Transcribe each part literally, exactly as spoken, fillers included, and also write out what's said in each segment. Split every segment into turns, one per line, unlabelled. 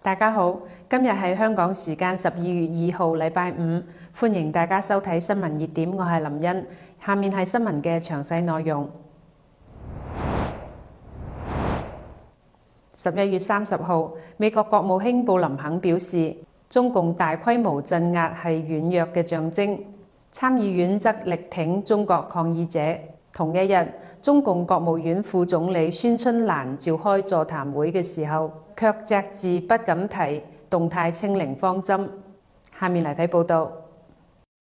大家好，今日係香港時間十二月二號，禮拜五，歡迎大家收睇新聞熱點，我係林茵。下面係新聞嘅詳細內容。十一月三十號，美國國務卿布林肯表示，中共大規模鎮壓係軟弱嘅象徵，參議院則力挺中國抗議者。同一日，中共國務院副總理孫春蘭召開座談會嘅時候，卻隻字不敢提動態清零方針。下面嚟睇報道。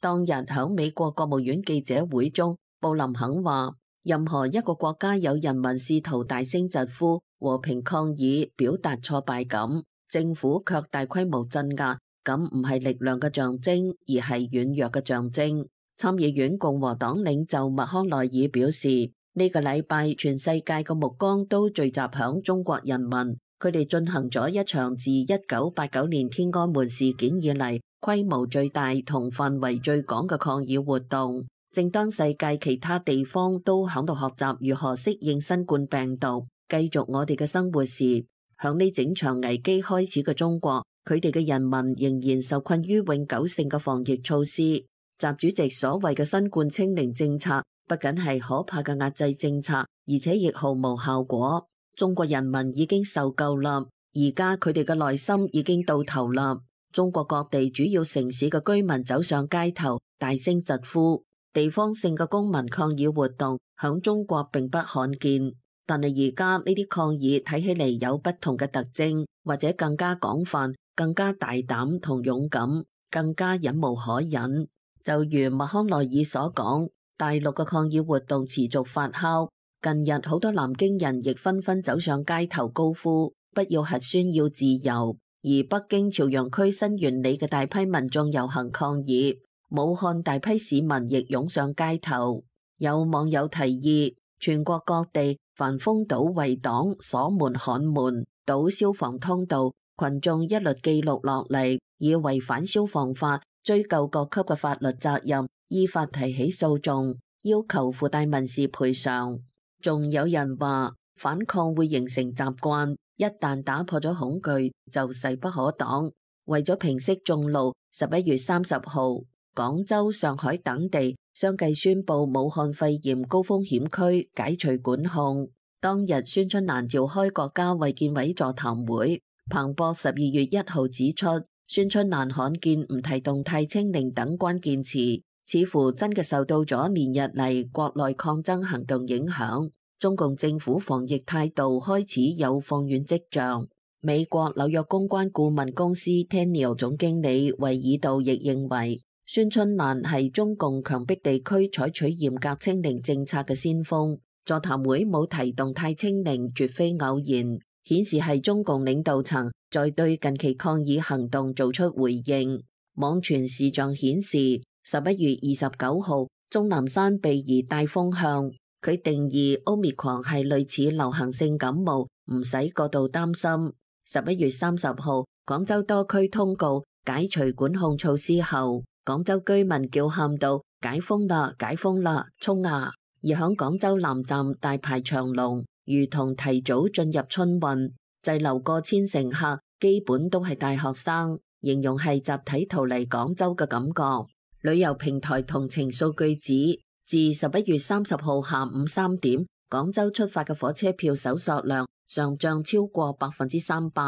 當日響美國國務院記者會中，布林肯話：任何一個國家有人民試圖大聲疾呼、和平抗議、表達挫敗感，政府卻大規模鎮壓，咁唔係力量嘅象徵，而係軟弱嘅象徵。參議院共和黨領袖麥康奈爾表示，呢個禮拜全世界嘅目光都聚集響中國人民，佢哋進行咗一場自一九八九年天安門事件以嚟規模最大同範圍最廣嘅抗議活動。正當世界其他地方都響度學習如何適應新冠病毒，繼續我哋嘅生活時，響呢整場危機開始嘅中國，佢哋嘅人民仍然受困於永久性嘅防疫措施。習主席所謂嘅新冠清零政策，不僅係可怕嘅壓制政策，而且亦毫無效果。中國人民已經受夠啦，而家佢哋嘅內心已經到頭啦。中國各地主要城市嘅居民走上街頭，大聲疾呼。地方性嘅公民抗議活動響中國並不罕見，但係而家呢啲抗議睇起嚟有不同嘅特徵，或者更加廣泛、更加大膽同勇敢、更加忍無可忍。就如麥康奈爾所講，大陸嘅抗議活動持續發酵。近日好多南京人亦紛紛走上街頭高呼不要核酸要自由，而北京朝陽區新源里嘅大批民眾遊行抗議，武漢大批市民亦湧上街頭。有網友提議，全國各地凡封堵圍擋、鎖門焊門、堵消防通道，群眾一律記錄落嚟，以違反消防法追究各級嘅法律責任，依法提起訴訟，要求附帶民事賠償。仲有人話反抗會形成習慣，一旦打破咗恐懼就勢不可擋。為咗平息眾怒，十一月三十號，廣州、上海等地相繼宣布武漢肺炎高風險區解除管控。當日孫春蘭召開國家衛健委座談會，彭博十二月一號指出，孫春蘭罕見唔提動態清零等關鍵詞，似乎真嘅受到咗連日嚟國內抗爭行動影響，中共政府防疫態度開始有放軟跡象。美國紐約公關顧問公司 Tenniel 總經理維爾道亦認為，孫春蘭係中共強迫地區採取嚴格清零政策嘅先鋒。座談會冇提動態清零，絕非偶然，顯示係中共領導層在對近期抗議行動做出回應。網傳視像顯示，十一月二十九號，鍾南山被疑帶風向，佢定義 Omicron 係類似流行性感冒，唔使過度擔心。十一月三十號，廣州多區通告解除管控措施後，廣州居民叫喊到解封啦，解封啦，衝啊！而響廣州南站大排長龍，如同提早進入春運，滯留過千乘客基本都係大學生，形容係集體逃離廣州嘅感覺。旅遊平台同程數據指，自十一月三十號下午三點，廣州出發嘅火車票搜索量上漲超過百分之三百，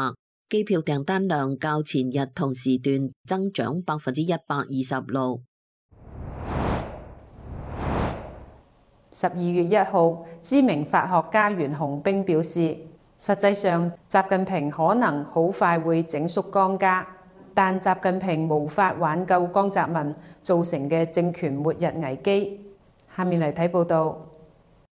機票訂單量較前日同時段增長百分之一百二十六。
十二月一號，知名法學家袁洪兵表示，實際上習近平可能好快會整肅江家，但習近平無法挽救江澤民造成嘅政權末日危機。下面嚟睇報道。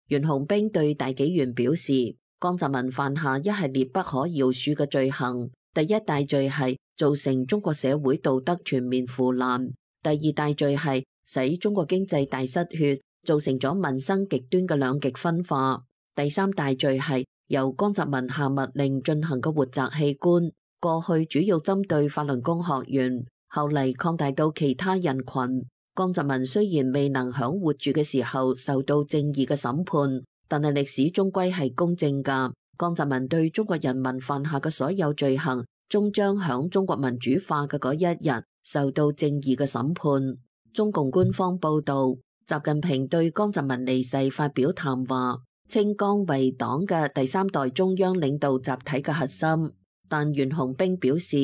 袁洪兵對大紀元表示，江澤民犯下一系列不可饒恕嘅罪行，第一大罪係造成中國社會道德全面腐爛，第二大罪係使中國經濟大失血，造成咗民生極端嘅兩極分化。第三大罪係由江澤民下密令進行嘅活摘器官，過去主要針對法輪功學員，後嚟擴大到其他人群。江澤民雖然未能響活住嘅時候受到正義嘅審判，但係歷史終歸係公正㗎。江澤民對中國人民犯下嘅所有罪行，終將響中國民主化嘅嗰一日受到正義嘅審判。中共官方報導，習近平對江澤民離世發表談話，稱江為黨嘅第三代中央領導集體嘅核心。但袁洪兵表示，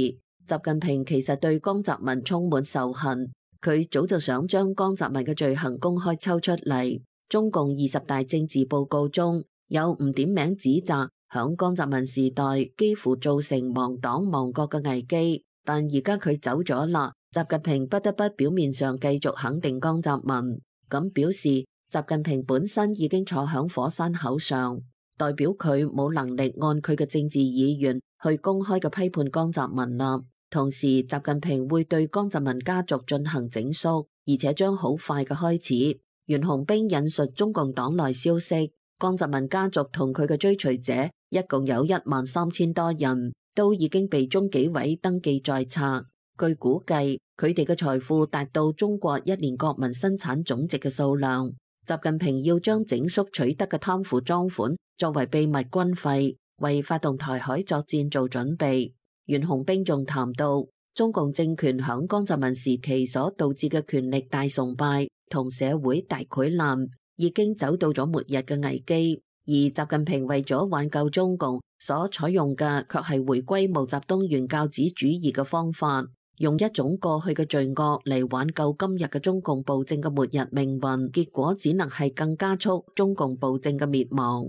習近平其實對江澤民充滿仇恨，佢早就想將江澤民嘅罪行公開抽出嚟。中共二十大政治報告中有唔點名指責響江澤民時代幾乎造成亡黨亡國嘅危機，但而家佢走咗啦，習近平不得不表面上繼續肯定江澤民，咁表示習近平本身已經坐響火山口上，代表佢冇能力按佢嘅政治意願去公開嘅批判江澤民啦。同時，習近平會對江澤民家族進行整肅，而且將好快嘅開始。袁洪兵引述中共黨內消息，江澤民家族同佢嘅追隨者一共有一萬三千多人，都已經被中紀委登記在冊。據估計，佢哋嘅財富達到中國一年國民生產總值嘅數量。習近平要將整肅取得嘅貪腐贓款作為秘密軍費，為發動台海作戰做準備。袁洪兵仲談到，中共政權響江澤民時期所導致嘅權力大崇拜同社會大潰爛，已經走到咗末日嘅危機。而習近平為咗挽救中共，所採用嘅卻係回歸毛澤東原教旨主義嘅方法，用一種過去嘅罪惡嚟挽救今日嘅中共暴政嘅末日命運，結果只能係更加速中共暴政嘅滅亡。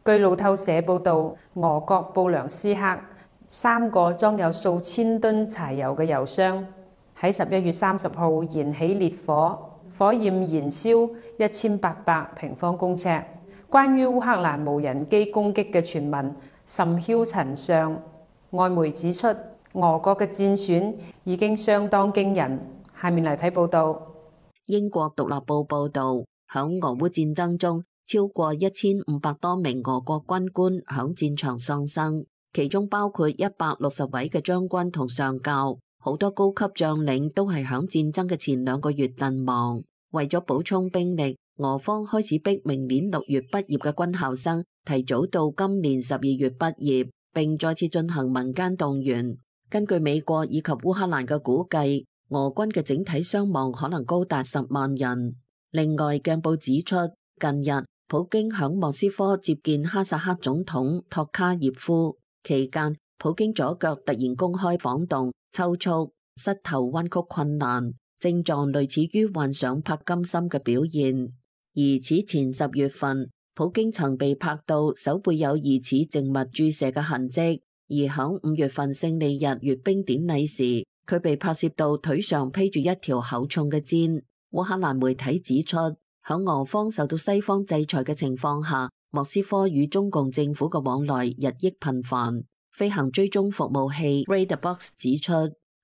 據路透社報導，俄國布良斯克三個裝有數千噸柴油嘅油箱喺十一月三十號燃起烈火，火焰燃燒一千八百平方公尺。關於烏克蘭無人機攻擊嘅傳聞甚囂塵上，外媒指出俄國嘅戰損已經相當驚人。下面嚟睇報導。
英國獨立報報導，響俄烏戰爭中，超過一千五百多名俄國軍官響戰場喪生，其中包括一百六十位嘅將軍同上校，好多高級將領都係響戰爭嘅前兩個月陣亡。為咗補充兵力，俄方開始逼明年六月畢業嘅軍校生提早到今年十二月畢業，並再次進行民間動員。根據美國以及烏克蘭嘅估計，俄軍嘅整體傷亡可能高達十萬人。另外，鏡報指出，近日普京響莫斯科接見哈薩克總統托卡耶夫期間，普京左腳突然公開晃動、抽搐、膝頭彎曲困難，症狀類似於患上柏金森嘅表現。而此前十月份，普京曾被拍到手背有疑似靜脈注射嘅痕跡，而響五月份勝利日閱兵典禮時，佢被拍攝到腿上披住一條厚重嘅氈。烏克蘭媒體指出，響俄方受到西方制裁嘅情況下，莫斯科與中共政府嘅往來日益頻繁。飛行追蹤服務器 Radarbox 指出，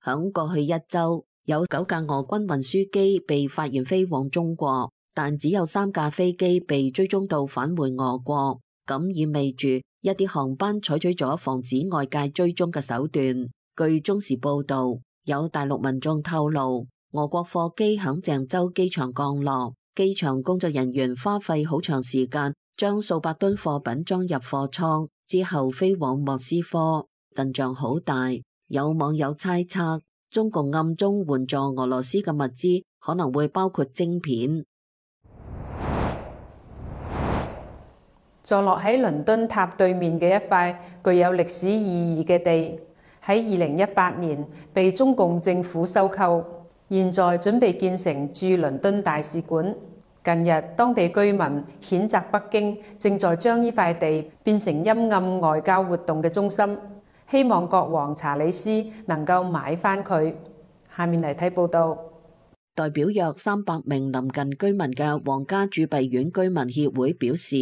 響過去一周有九架俄軍運輸機被發現飛往中國，但只有三架飛機被追蹤到返回俄國，咁意味住一啲航班採取咗防止外界追蹤嘅手段。據中時報道，有大陸民眾透露，俄國貨機響鄭州機場降落，機場工作人員花費好長時間將數百噸貨品裝入貨艙，之後飛往莫斯科，陣仗好大。有網友猜測，中共暗中援助俄羅斯嘅物資可能會包括晶片。
坐落喺倫敦塔對面嘅一塊具有歷史意義嘅地，喺二零一八年被中共政府收購，現在準備建成駐倫敦大使館。近日，當地居民譴責北京正在將呢塊地變成陰暗外交活動嘅中心，希望國王查理斯能夠買返佢。下面嚟睇報道。
代表約三百名臨近居民嘅皇家鑄幣院居民協會表示，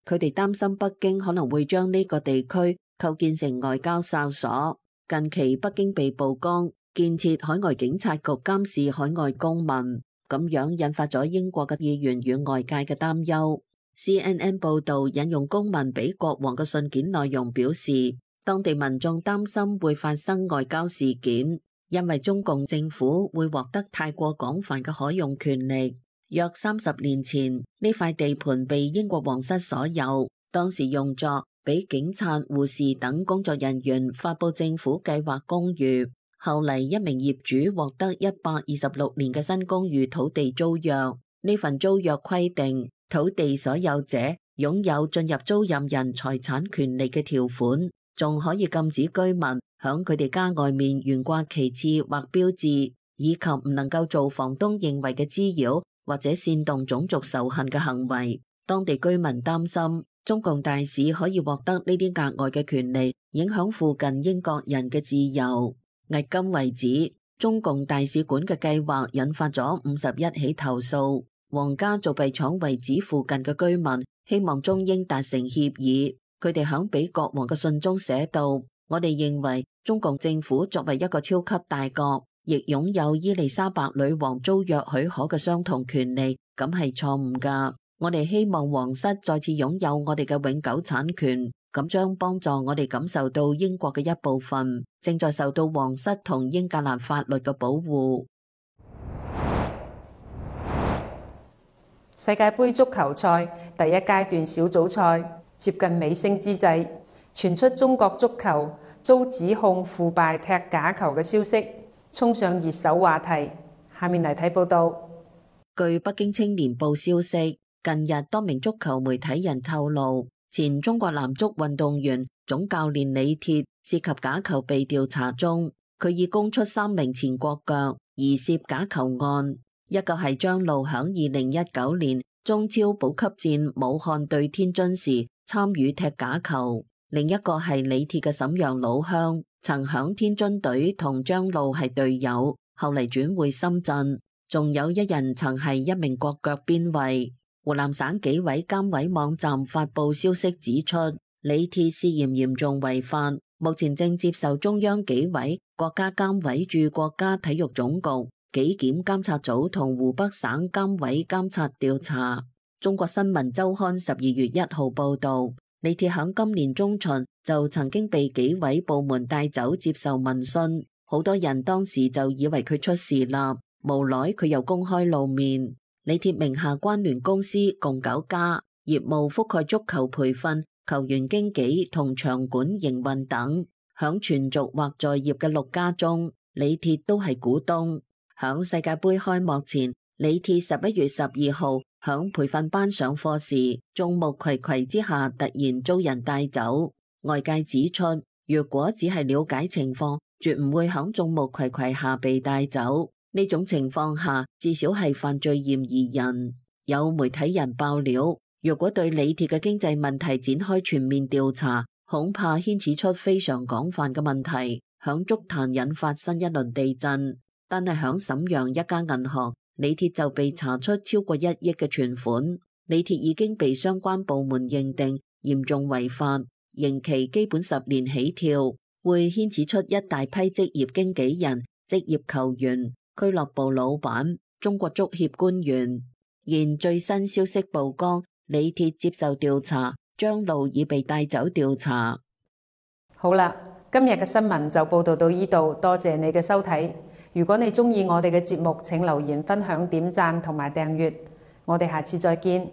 佢哋擔心北京可能會將呢個地區構建成外交哨所。近期北京被曝光建設海外警察局監視海外公民，咁樣引發咗英國嘅議員與外界嘅擔憂。C N N 報道引用公民俾國王嘅信件內容表示，當地民眾擔心會發生外交事件，因為中共政府會獲得太過廣泛嘅可用權力。約三十年前，呢塊地盤被英國皇室所有，當時用作俾警察、護士等工作人員發佈政府計劃公寓。後嚟一名業主獲得一百二十六年嘅新公寓土地租約。呢份租約規定，土地所有者擁有進入租賃人財產權利嘅條款，仲可以禁止居民響佢哋家外面懸掛旗幟或標誌，以及唔能夠做房東認為嘅滋擾或者煽動種族仇恨嘅行為。當地居民擔心中共大使可以獲得呢啲額外嘅權利，影響附近英國人嘅自由。迄今為止，中共大使館嘅計劃引發咗五十一起投訴。皇家造幣廠遺址附近嘅居民希望中英達成協議。佢哋響俾國王嘅信中寫道：我哋認為中共政府作為一個超級大國，亦擁有伊麗莎白女王租約許可嘅相同權利，咁係錯誤㗎。我哋希望皇室再次擁有我哋嘅永久產權，咁將幫助我哋感受到英國嘅一部分正在受到皇室同英格蘭法律嘅保護。
世界盃足球賽第一階段小組賽接近尾聲之際，傳出中國足球遭指控腐敗踢假球嘅消息，衝上熱搜話題。下面嚟睇報道。
據北京青年報消息，近日多名足球媒體人透露，前中國男足運動員總教練李鐵涉及假球被調查中，佢已供出三名前國腳疑涉假球案，一個係張路響二零一九年中超保級戰武漢對天津時參與踢假球，另一個係李鐵嘅瀋陽老鄉，曾響天津隊同張路係隊友，後嚟轉會深圳，仲有一人曾係一名國腳邊衛。湖南省紀委監委網站發佈消息指出，李鐵涉嫌嚴重違法，目前正接受中央紀委、國家監委駐國家體育總局、紀檢監察組同湖北省監委監察調查。中國新聞周刊十二月一號報道，李鐵響今年中旬就曾經被紀委部門帶走接受問訊，好多人當時就以為佢出事啦，無奈佢又公開露面。李鐵名下關聯公司共九家，業務覆蓋足球培訓、球員經紀同場館營運等。響全族或在業嘅六家中，李鐵都係股東。響世界盃開幕前，李鐵十一月十二號響培訓班上課時，眾目睽睽之下突然遭人帶走。外界指出，若果只係了解情況，絕唔會響眾目睽睽下被帶走。呢種情況下，至少係犯罪嫌疑人。有媒體人爆料，若果對李鐵嘅經濟問題展開全面調查，恐怕牽扯出非常廣泛嘅問題，響足壇引發新一輪地震。但係響瀋陽一家銀行，李鐵就被查出超過一億嘅存款。李鐵已經被相關部門認定嚴重違法，刑期基本十年起跳，會牽扯出一大批職業經紀人、職業球員、俱樂部老闆、中國足協官員。現最新消息曝光，李鐵接受調查，張路已被帶走調查。
好啦，今日嘅新聞就報道到呢度，多謝你嘅收睇。如果你鍾意我哋嘅節目，請留言分享、點讚同埋訂閱。我哋下次再見。